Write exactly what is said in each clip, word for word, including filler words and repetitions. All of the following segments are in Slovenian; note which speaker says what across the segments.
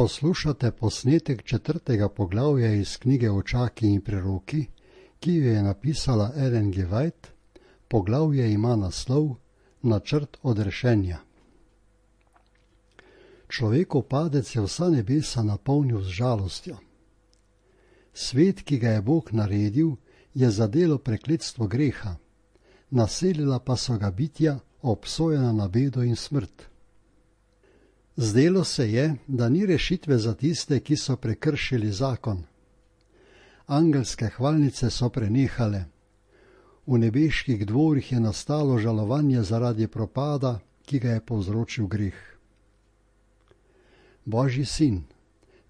Speaker 1: Poslušate posnetek četrtega poglavja iz knjige Očaki in preroki, ki jo je napisala Ellen G. White. Poglavje ima naslov Načrt odrešenja. Človekov padec je vsa nebesa napolnil z žalostjo. Svet, ki ga je Bog naredil, je zadelo prekletstvo greha, naselila pa so ga bitja, obsojena na bedo in smrt. Zdelo se je, da ni rešitve za tiste, ki so prekršili zakon. Angelske hvalnice so prenehale. V nebeških dvorih je nastalo žalovanje zaradi propada, ki ga je povzročil greh. Božji sin,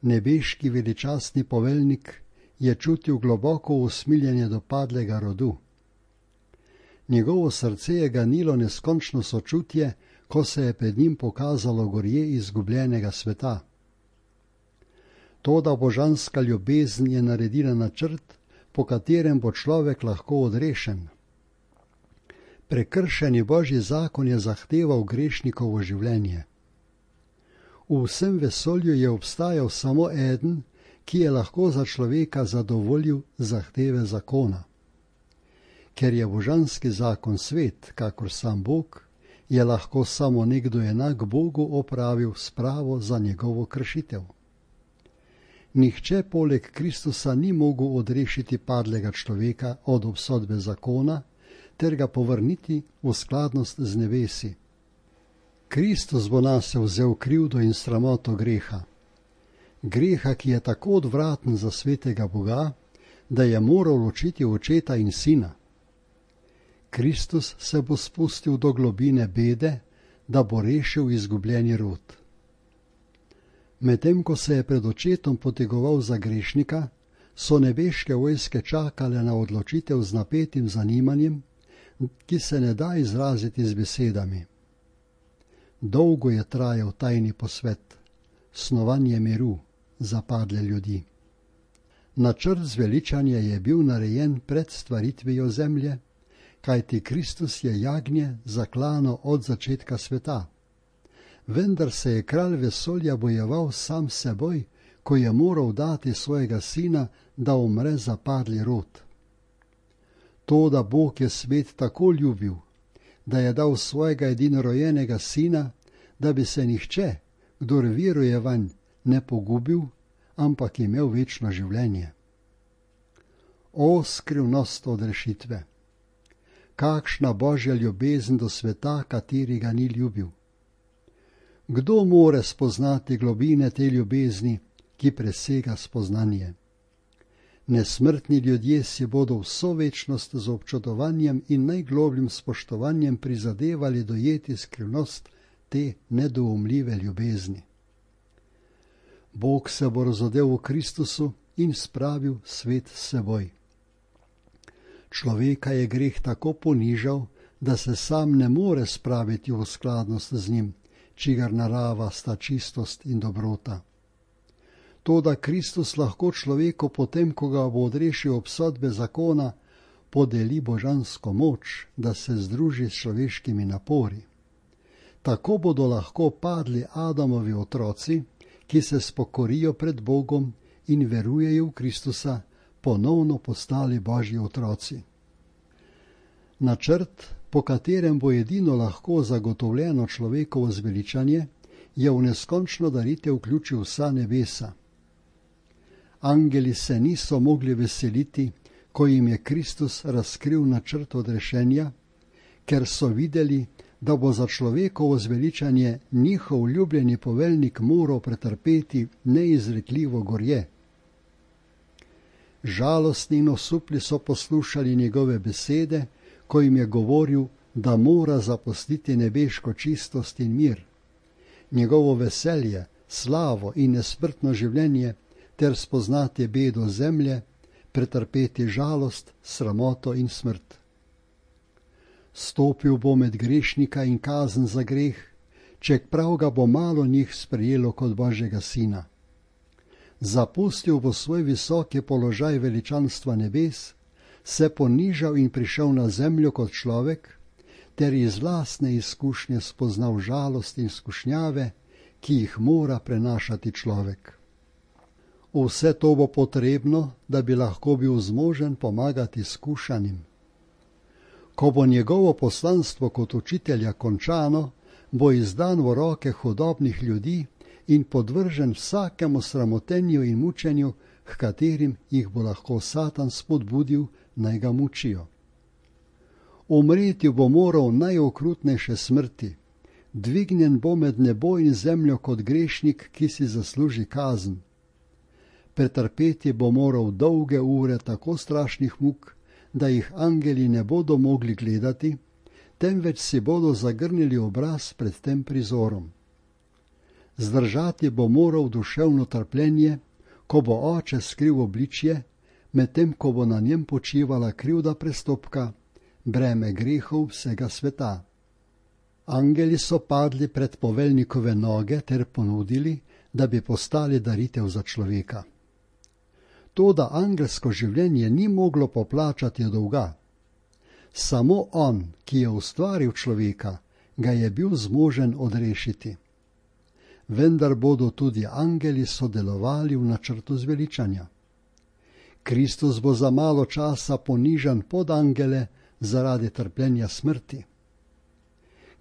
Speaker 1: nebeški veličastni poveljnik, je čutil globoko usmiljenje do padlega rodu. Njegovo srce je ganilo neskončno sočutje, ko se je pred njim pokazalo gorje izgubljenega sveta. Toda božanska ljubezen je naredila načrt, po katerem bo človek lahko odrešen. Prekršeni Božji zakon je zahteval grešnikovo življenje. V vsem vesolju je obstajal samo eden, ki je lahko za človeka zadovoljil zahteve zakona. Ker je božanski zakon svet, kakor sam Bog, je lahko samo nekdo enak Bogu opravil spravo za njegovo kršitev. Nihče poleg Kristusa ni mogel odrešiti padlega človeka od obsodbe zakona ter ga povrniti v skladnost z nebesi. Kristus bo nase vzel krivdo in sramoto greha. Greha, ki je tako odvraten za svetega Boga, da je moral ločiti očeta in sina. Kristus se bo spustil do globine bede, da bo rešil izgubljeni rod. Medtem ko se je pred očetom potegoval za grešnika, so nebeške vojske čakale na odločitev z napetim zanimanjem, ki se ne da izraziti z besedami. Dolgo je trajal tajni posvet, snovanje miru za padle ljudi. Načrt zveličanja je bil narejen pred stvaritvijo zemlje, kajti Kristus je jagnje zaklano od začetka sveta. Vendar se je kralj vesolja bojeval sam s seboj, ko je moral dati svojega sina, da umre za padli rod. Toda Bog je svet tako ljubil, da je dal svojega edinorojenega sina, da bi se nihče, kdor veruje vanj, ne pogubil, ampak imel večno življenje. O skrivnost odrešitve! Kakšna Božja ljubezen do sveta, kateri ga ni ljubil! Kdo more spoznati globine te ljubezni, ki presega spoznanje? Nesmrtni ljudje si bodo vso večnost z občudovanjem in najglobljim spoštovanjem prizadevali dojeti skrivnost te nedoumljive ljubezni. Bog se bo razodel v Kristusu in spravil svet s seboj. Človeka je greh tako ponižal, da se sam ne more spraviti v skladnost z njim, čigar narava sta čistost in dobrota. Toda Kristus lahko človeku potem, ko ga bo odrešil obsodbe zakona, podeli božansko moč, da se združi s človeškimi napori. Tako bodo lahko padli Adamovi otroci, ki se spokorijo pred Bogom in verujejo v Kristusa, ponovno postali Božji otroci. Načrt, po katerem bo edino lahko zagotovljeno človekovo zveličanje, je v neskončno daritev vključil vsa nebesa. Angeli se niso mogli veseliti, ko jim je Kristus razkril načrt odrešenja, ker so videli, da bo za človekovo zveličanje njihov ljubljeni poveljnik moral pretrpeti neizrekljivo gorje. Žalostni in osupli so poslušali njegove besede, ko jim je govoril, da mora zapustiti nebeško čistost in mir, njegovo veselje, slavo in nesmrtno življenje ter spoznati bedo zemlje, pretrpeti žalost, sramoto in smrt. Stopil bo med grešnika in kazen za greh, čeprav ga bo malo njih sprejelo kot Božjega sina. Zapustil bo svoj visoki položaj veličanstva nebes, se ponižal in prišel na zemljo kot človek, ter iz lastne izkušnje spoznal žalost in skušnjave, ki jih mora prenašati človek. Vse to bo potrebno, da bi lahko bil zmožen pomagati skušanim. Ko bo njegovo poslanstvo kot učitelja končano, bo izdan v roke hudobnih ljudi in podvržen vsakemu sramotenju in mučenju, h katerim jih bo lahko Satan spodbudil, naj ga mučijo. Umreti bo moral najokrutnejše smrti, dvignjen bo med nebo in zemljo kot grešnik, ki si zasluži kazen. Pretrpeti bo moral dolge ure tako strašnih muk, da jih angeli ne bodo mogli gledati, temveč si bodo zagrnili obraz pred tem prizorom. Zdržati bo moral duševno trpljenje, ko bo oče skril obličje, medtem ko bo na njem počivala krivda prestopka, breme grehov vsega sveta. Angeli so padli pred poveljnikove noge ter ponudili, da bi postali daritev za človeka. Toda angelsko življenje ni moglo poplačati dolga. Samo on, ki je ustvaril človeka, ga je bil zmožen odrešiti. Vendar bodo tudi angeli sodelovali v načrtu zveličanja. Kristus bo za malo časa ponižan pod angele zaradi trpljenja smrti.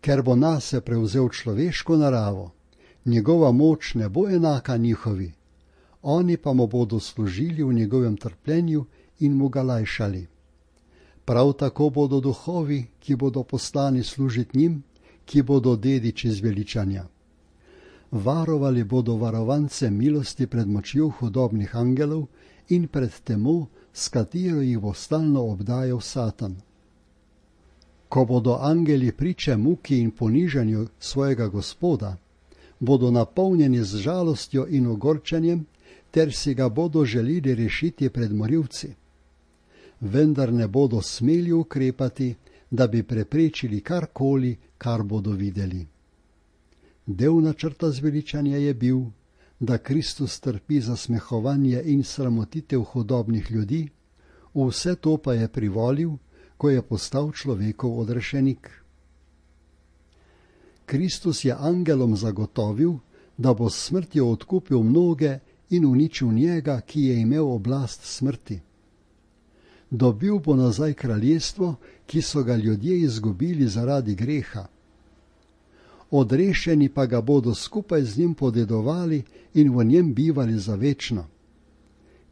Speaker 1: Ker bo nase prevzel človeško naravo, njegova moč ne bo enaka njihovi, oni pa mu bodo služili v njegovem trpljenju in mu ga lajšali. Prav tako bodo duhovi, ki bodo poslani služiti njim, ki bodo dediči zveličanja. Varovali bodo varovance milosti pred močjo hudobnih angelov in pred temo, s katero jih bo stalno obdajal Satan. Ko bodo angeli priče muki in ponižanju svojega Gospoda, bodo napolnjeni z žalostjo in ogorčenjem, ter si ga bodo želeli rešiti pred morilci. Vendar ne bodo smeli ukrepati, da bi preprečili karkoli, kar bodo videli. Del načrta zveličanja je bil, da Kristus trpi zasmehovanje in sramotitev hudobnih ljudi, vse to pa je privolil, ko je postal človekov odrešenik. Kristus je angelom zagotovil, da bo s smrtjo odkupil mnoge in uničil njega, ki je imel oblast smrti. Dobil bo nazaj kraljestvo, ki so ga ljudje izgubili zaradi greha. Odrešeni pa ga bodo skupaj z njim podedovali in v njem bivali za večno.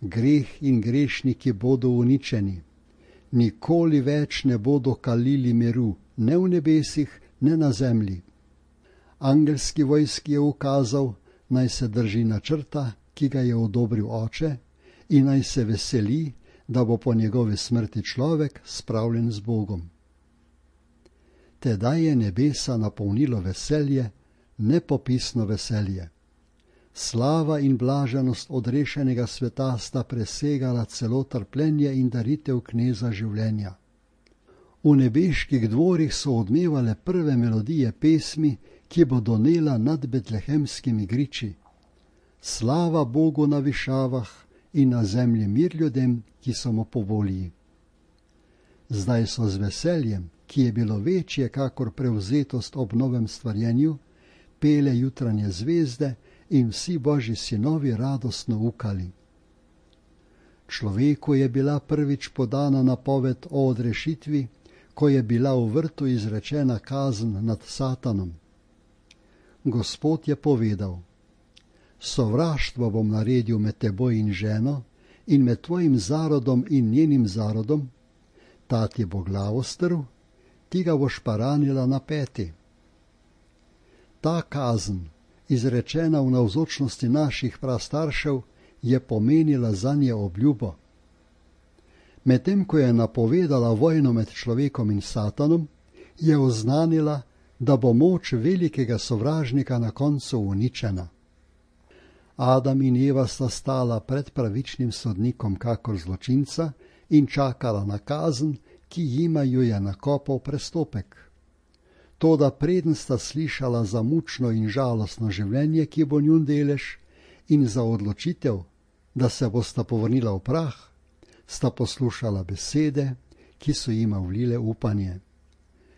Speaker 1: Greh in grešniki bodo uničeni. Nikoli več ne bodo kalili miru, ne v nebesih, ne na zemlji. Angelski vojski je ukazal, naj se drži načrta, ki ga je odobril oče, in naj se veseli, da bo po njegovi smrti človek spravljen z Bogom. Tedaj je nebesa napolnilo veselje, nepopisno veselje. Slava in blaženost odrešenega sveta sta presegala celo trpljenje in daritev kneza življenja. V nebeških dvorih so odmevale prve melodije pesmi, ki bo donela nad betlehemskimi griči. Slava Bogu na višavah in na zemlji mir ljudem, ki so mu po volji. Zdaj so z veseljem, ki je bilo večje kakor prevzetost ob novem stvarjenju, pele jutranje zvezde in vsi božji sinovi radostno ukali. Človeku je bila prvič podana napoved o odrešitvi, ko je bila v vrtu izrečena kazen nad Satanom. Gospod je povedal: sovraštvo bom naredil med teboj in ženo in med tvojim zarodom in njenim zarodom, ta ti bo glavo strl, ti ga boš pa ranila na peti. Ta kazen, izrečena v navzočnosti naših prastaršev, je pomenila zanje obljubo. Medtem ko je napovedala vojno med človekom in Satanom, je oznanila, da bo moč velikega sovražnika na koncu uničena. Adam in Eva sta stala pred pravičnim sodnikom kakor zločinca in čakala na kazen, ki jima jo je nakopal prestopek. Toda preden sta slišala za mučno in žalostno življenje, ki bo njun delež, in za odločitev, da se bosta povrnila v prah, sta poslušala besede, ki so jima vlile upanje.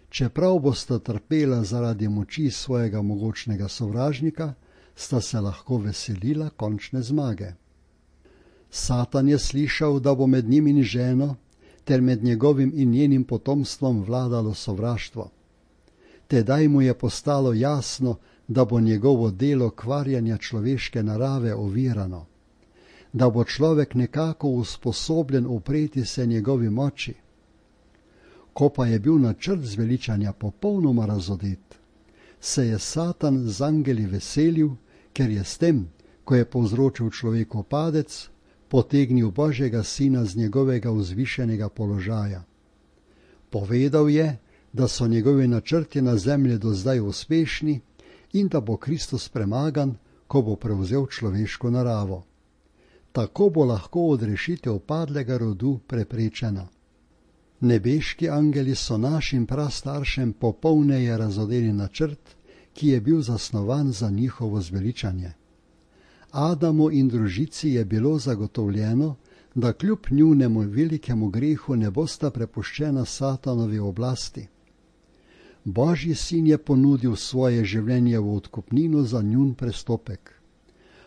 Speaker 1: Čeprav bosta trpela zaradi moči svojega mogočnega sovražnika, sta se lahko veselila končne zmage. Satan je slišal, da bo med njim in ženo ter med njegovim in njenim potomstvom vladalo sovraštvo. Tedaj mu je postalo jasno, da bo njegovo delo kvarjanja človeške narave ovirano, da bo človek nekako usposobljen upreti se njegovi moči. Ko pa je bil načrt zveličanja popolnoma razodet, se je Satan z angeli veselil, ker je s tem, ko je povzročil človeku padec, potegnil Božjega sina z njegovega vzvišenega položaja. Povedal je, da so njegovi načrti na zemlji do zdaj uspešni in da bo Kristus premagan, ko bo prevzel človeško naravo. Tako bo lahko odrešitev padlega rodu preprečena. Nebeški angeli so našim prastaršem popolneje razodeli načrt, ki je bil zasnovan za njihovo zveličanje. Adamu in družici je bilo zagotovljeno, da kljub njunemu velikemu grehu ne bosta prepuščena Satanovi oblasti. Božji sin je ponudil svoje življenje v odkupnino za njun prestopek.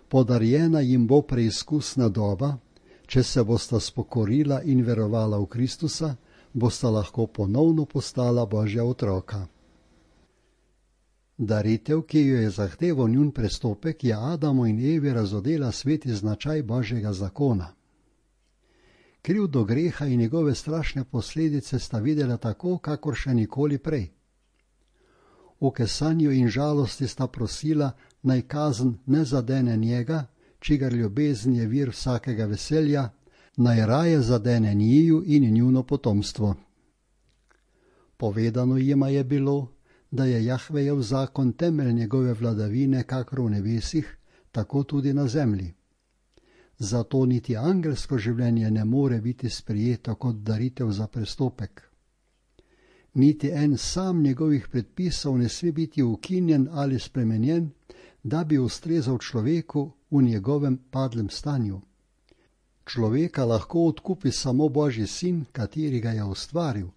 Speaker 1: Podarjena jim bo preizkusna doba, če se bosta spokorila in verovala v Kristusa, bosta lahko ponovno postala Božja otroka. Daritev, ki jo je zahteval njun prestopek, je Adamu in Evi razodela sveti značaj Božjega zakona. Krivdo greha in njegove strašne posledice sta videla tako, kakor še nikoli prej. V kesanju in žalosti sta prosila, naj kazen ne zadene njega, čigar ljubezen je vir vsakega veselja, naj raje zadene njiju in njuno potomstvo. Povedano jima je bilo, da je Jahvejev zakon temelj njegove vladavine, kakor v nebesih, tako tudi na zemlji. Zato niti angelsko življenje ne more biti sprijeto kot daritev za prestopek. Niti en sam njegovih predpisov ne sme biti ukinjen ali spremenjen, da bi ustrezal človeku v njegovem padlem stanju. Človeka lahko odkupi samo Božji sin, kateri ga je ustvaril.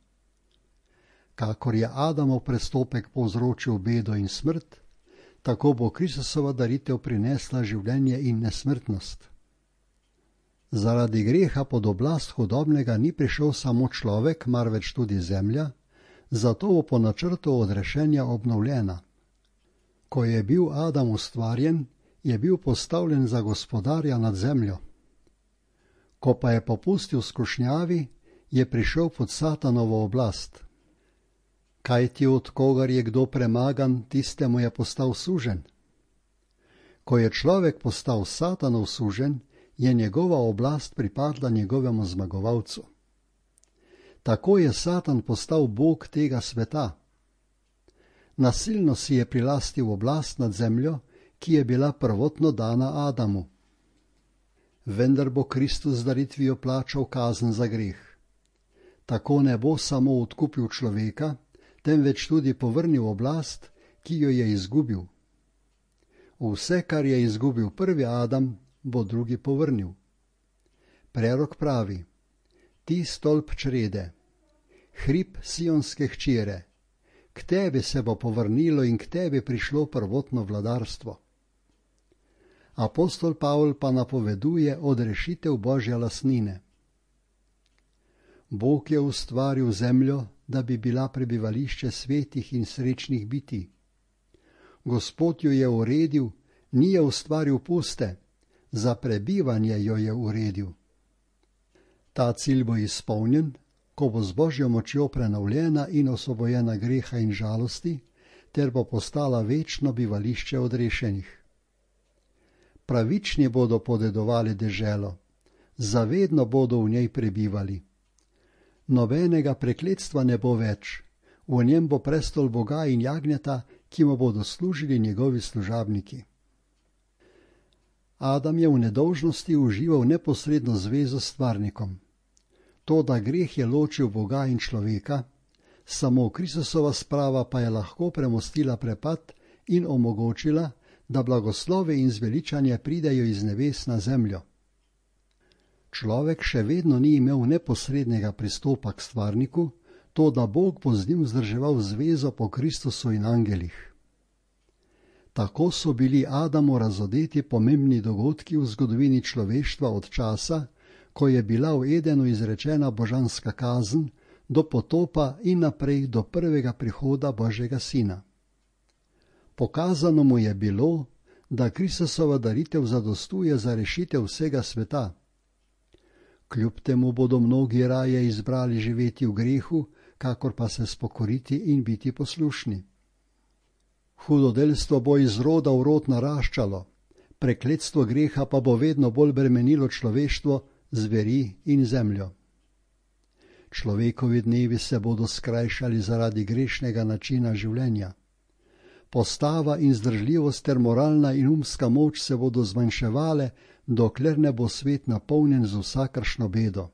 Speaker 1: Kakor je Adamov prestopek povzročil bedo in smrt, tako bo Kristusova daritev prinesla življenje in nesmrtnost. Zaradi greha pod oblast hudobnega ni prišel samo človek, marveč tudi zemlja, zato bo po načrtu odrešenja obnovljena. Ko je bil Adam ustvarjen, je bil postavljen za gospodarja nad zemljo. Ko pa je popustil skušnjavi, je prišel pod Satanovo oblast. Kajti od kogar je kdo premagan, tistemu je postal suženj. Ko je človek postal Satanov suženj, je njegova oblast pripadla njegovemu zmagovalcu. Tako je Satan postal bog tega sveta. Nasilno si je prilastil oblast nad zemljo, ki je bila prvotno dana Adamu. Vendar bo Kristus z daritvijo plačal kazen za greh. Tako ne bo samo odkupil človeka, temveč tudi povrnil oblast, ki jo je izgubil. Vse, kar je izgubil prvi Adam, bo drugi povrnil. Prerok pravi: ti stolp črede, hrib sionske hčere, k tebi se bo povrnilo in k tebi prišlo prvotno vladarstvo. Apostol Pavl pa napoveduje odrešitev Božje lastnine. Bog je ustvaril zemljo, da bi bila prebivališče svetih in srečnih bitij. Gospod jo je uredil, ni je ustvaril puste, za prebivanje jo je uredil. Ta cilj bo izpolnjen, ko bo z Božjo močjo prenovljena in osvobojena greha in žalosti, ter bo postala večno bivališče odrešenih. Pravični bodo podedovali deželo, zavedno bodo v njej prebivali. Nobenega prekletstva ne bo več, v njem bo prestol Boga in jagnjeta, ki mu bodo služili njegovi služabniki. Adam je v nedolžnosti užival neposredno zvezo s stvarnikom. To, da greh je ločil Boga in človeka, samo Kristusova sprava pa je lahko premostila prepad in omogočila, da blagoslove in zveličanje pridejo iz nebes na zemljo. Človek še vedno ni imel neposrednega pristopa k stvarniku, to, da Bog bo z njim vzdrževal zvezo po Kristusu in angelih. Tako so bili Adamu razodeti pomembni dogodki v zgodovini človeštva od časa, ko je bila v Edenu izrečena božanska kazen, do potopa in naprej do prvega prihoda Božjega Sina. Pokazano mu je bilo, da Kristusova daritev zadostuje za rešitev vsega sveta. Kljub temu bodo mnogi raje izbrali živeti v grehu, kakor pa se spokoriti in biti poslušni. Hudodelstvo bo iz roda v rod naraščalo, prekletstvo greha pa bo vedno bolj bremenilo človeštvo, zveri in zemljo. Človekovi dnevi se bodo skrajšali zaradi grešnega načina življenja. Postava in zdržljivost ter moralna in umska moč se bodo zmanjševale, dokler ne bo svet napolnjen z vsakršno bedo.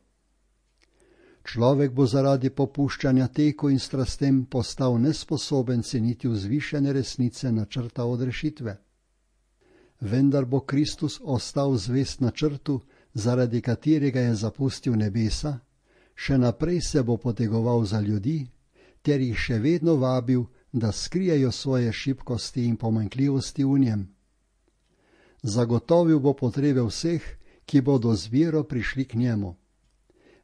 Speaker 1: Človek bo zaradi popuščanja teku in strastem postal nesposoben ceniti vzvišene resnice načrta odrešitve. Vendar bo Kristus ostal zvest načrtu, zaradi katerega je zapustil nebesa, še naprej se bo potegoval za ljudi, ter jih še vedno vabil, da skrijejo svoje šibkosti in pomanjkljivosti v njem. Zagotovil bo potrebe vseh, ki bodo z vero prišli k njemu.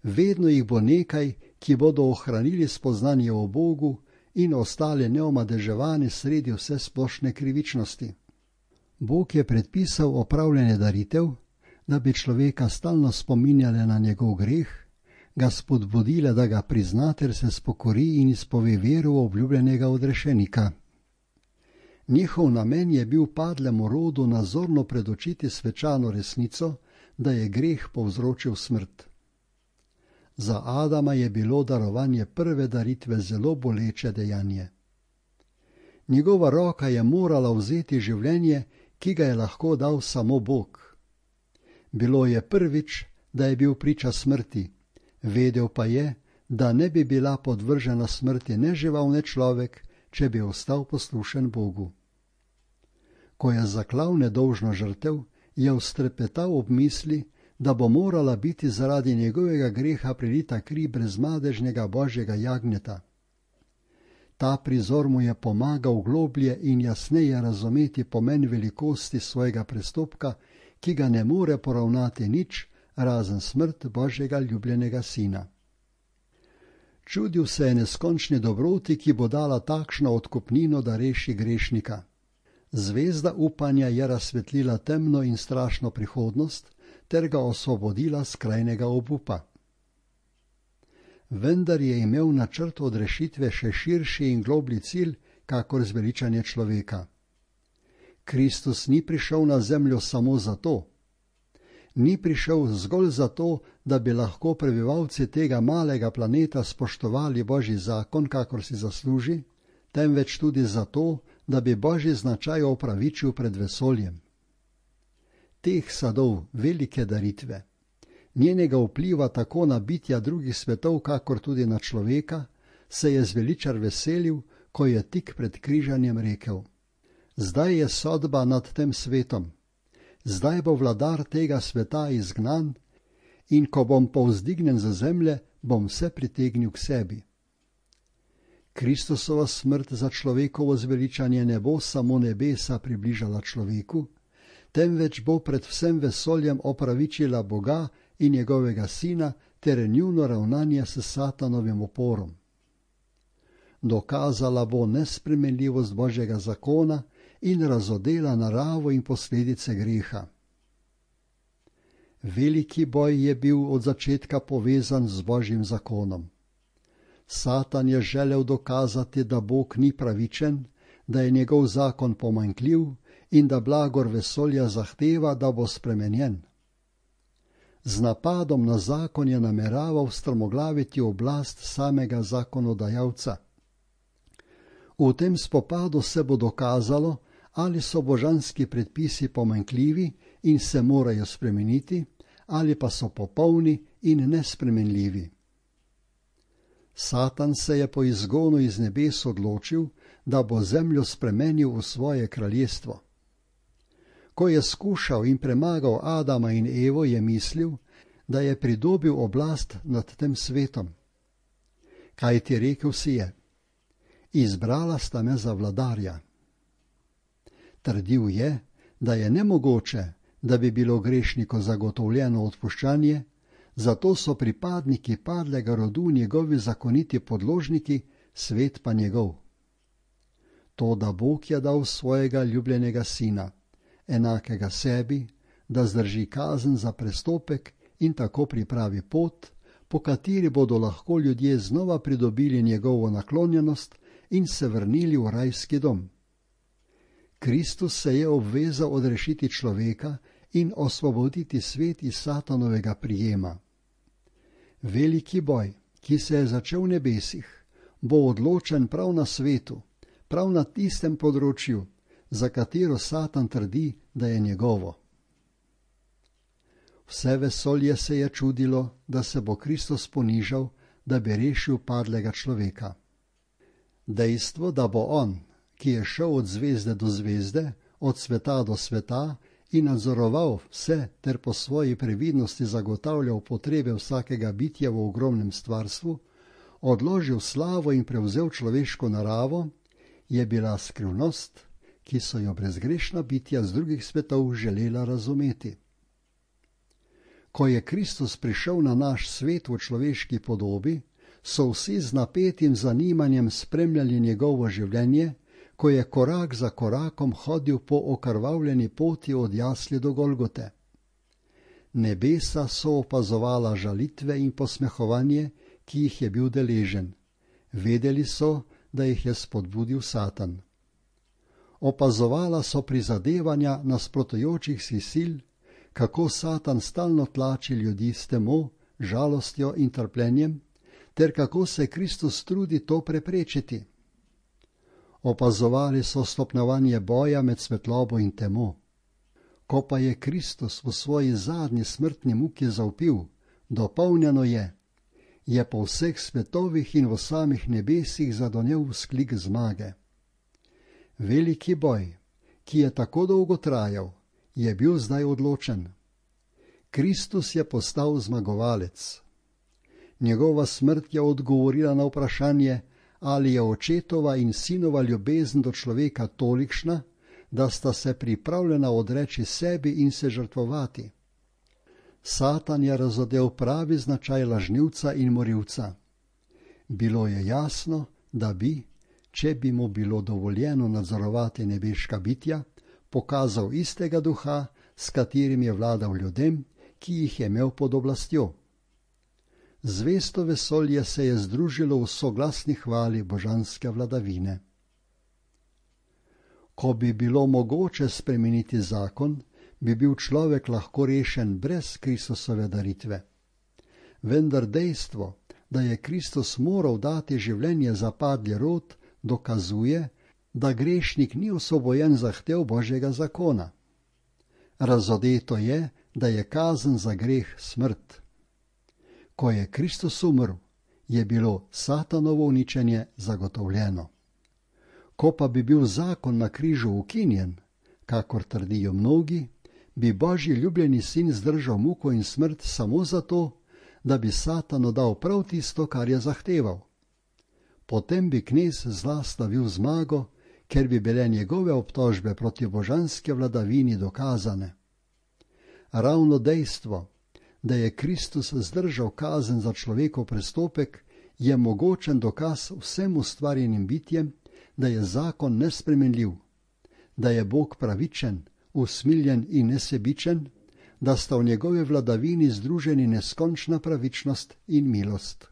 Speaker 1: Vedno jih bo nekaj, ki bodo ohranili spoznanje o Bogu in ostale neomadeževane sredi vse splošne krivičnosti. Bog je predpisal opravljanje daritev, da bi človeka stalno spominjale na njegov greh, ga spodbudile, da ga prizna ter se spokori in izpove veru v obljubljenega odrešenika. Njihov namen je bil padlemu rodu nazorno predočiti svečano resnico, da je greh povzročil smrt. Za Adama je bilo darovanje prve daritve zelo boleče dejanje. Njegova roka je morala vzeti življenje, ki ga je lahko dal samo Bog. Bilo je prvič, da je bil priča smrti, vedel pa je, da ne bi bila podvržena smrti ne žival ne človek, če bi ostal poslušen Bogu. Ko je zaklal nedolžno žrtev, je vztrepetal ob misli, da bo morala biti zaradi njegovega greha prilita kri brezmadežnega Božjega jagnjeta. Ta prizor mu je pomagal globlje in jasneje razumeti pomen velikosti svojega prestopka, ki ga ne more poravnati nič, razen smrt Božjega ljubljenega sina. Čudil se je neskončni dobroti, ki bo dala takšno odkupnino, da reši grešnika. Zvezda upanja je razsvetlila temno in strašno prihodnost, ter ga osvobodila skrajnega obupa. Vendar je imel načrt odrešitve še širši in globlji cilj, kakor zveličanje človeka. Kristus ni prišel na zemljo samo zato. Ni prišel zgolj zato, da bi lahko prebivalci tega malega planeta spoštovali Božji zakon, kakor si zasluži, temveč tudi zato, da bi Božji značaj opravičil pred vesoljem. Teh sadov velike daritve, njenega vpliva tako na bitja drugih svetov, kakor tudi na človeka, se je zveličar veselil, ko je tik pred križanjem rekel: zdaj je sodba nad tem svetom, zdaj bo vladar tega sveta izgnan in ko bom povzdignen za zemlje, bom vse pritegnil k sebi. Kristusova smrt za človekovo zveličanje ne bo samo nebesa približala človeku, temveč bo pred vsem vesoljem opravičila Boga in njegovega sina ter njuno ravnanje s satanovim oporom. Dokazala bo nespremenljivost Božjega zakona in razodela naravo in posledice greha. Veliki boj je bil od začetka povezan z Božjim zakonom. Satan je želel dokazati, da Bog ni pravičen, da je njegov zakon pomanjkljiv in da blagor vesolja zahteva, da bo spremenjen. Z napadom na zakon je nameraval strmoglaviti oblast samega zakonodajalca. V tem spopadu se bo dokazalo, ali so božanski predpisi pomanjkljivi in se morajo spremeniti, ali pa so popolni in nespremenljivi. Satan se je po izgonu iz nebes odločil, da bo zemljo spremenil v svoje kraljestvo. Ko je skušal in premagal Adama in Evo, je mislil, da je pridobil oblast nad tem svetom. Kaj ti rekel si je? Izbrala sta me za vladarja. Trdil je, da je nemogoče, da bi bilo grešniku zagotovljeno odpuščanje, zato so pripadniki padlega rodu njegovi zakoniti podložniki, svet pa njegov. To, da Bog je dal svojega ljubljenega sina, enakega sebi, da zdrži kazen za prestopek in tako pripravi pot, po kateri bodo lahko ljudje znova pridobili njegovo naklonjenost in se vrnili v rajski dom. Kristus se je obvezal odrešiti človeka in osvoboditi svet iz Satanovega prijema. Veliki boj, ki se je začel v nebesih, bo odločen prav na svetu, prav na tistem področju, za katero Satan trdi, da je njegovo. Vse vesolje se je čudilo, da se bo Kristus ponižal, da bi rešil padlega človeka. Dejstvo, da bo on, ki je šel od zvezde do zvezde, od sveta do sveta in nadzoroval vse ter po svoji previdnosti zagotavljal potrebe vsakega bitja v ogromnem stvarstvu, odložil slavo in prevzel človeško naravo, je bila skrivnost, ki so jo brezgrešna bitja z drugih svetov želela razumeti. Ko je Kristus prišel na naš svet v človeški podobi, so vsi z napetim zanimanjem spremljali njegovo življenje, ko je korak za korakom hodil po okrvavljeni poti od jasli do Golgote. Nebesa so opazovala žalitve in posmehovanje, ki jih je bil deležen. Vedeli so, da jih je spodbudil Satan. Opazovala so prizadevanja nasprotujočih si sil, kako Satan stalno tlači ljudi s temo, žalostjo in trpljenjem, ter kako se Kristus trudi to preprečiti. Opazovali so stopnjevanje boja med svetlobo in temo. Ko pa je Kristus v svoji zadnji smrtni muki zavpil, dopolnjeno je, je po vseh svetovih in v samih nebesih zadonel vzklik zmage. Veliki boj, ki je tako dolgo trajal, je bil zdaj odločen. Kristus je postal zmagovalec. Njegova smrt je odgovorila na vprašanje, ali je očetova in sinova ljubezen do človeka tolikšna, da sta se pripravljena odreči sebi in se žrtvovati. Satan je razodel pravi značaj lažnivca in morilca. Bilo je jasno, da bi, če bi mu bilo dovoljeno nadzorovati nebeška bitja, pokazal istega duha, s katerim je vladal ljudem, ki jih je imel pod oblastjo. Zvesto vesolje se je združilo v soglasni hvali božanske vladavine. Ko bi bilo mogoče spremeniti zakon, bi bil človek lahko rešen brez Kristusove daritve. Vendar dejstvo, da je Kristus moral dati življenje za padli rod, dokazuje, da grešnik ni osvobojen zahtev Božjega zakona. Razodeto je, da je kazen za greh smrt. Ko je Kristus umrl, je bilo Satanovo uničenje zagotovljeno. Ko pa bi bil zakon na križu ukinjen, kakor trdijo mnogi, bi Božji ljubljeni sin zdržal muko in smrt samo zato, da bi Satanu dal prav tisto, kar je zahteval. Potem bi knez zla slavil zmago, ker bi bile njegove obtožbe proti božanske vladavini dokazane. Ravno dejstvo, da je Kristus zdržal kazen za človekov prestopek, je mogočen dokaz vsem ustvarjenim bitjem, da je zakon nespremenljiv, da je Bog pravičen, usmiljen in nesebičen, da sta v njegovi vladavini združeni neskončna pravičnost in milost.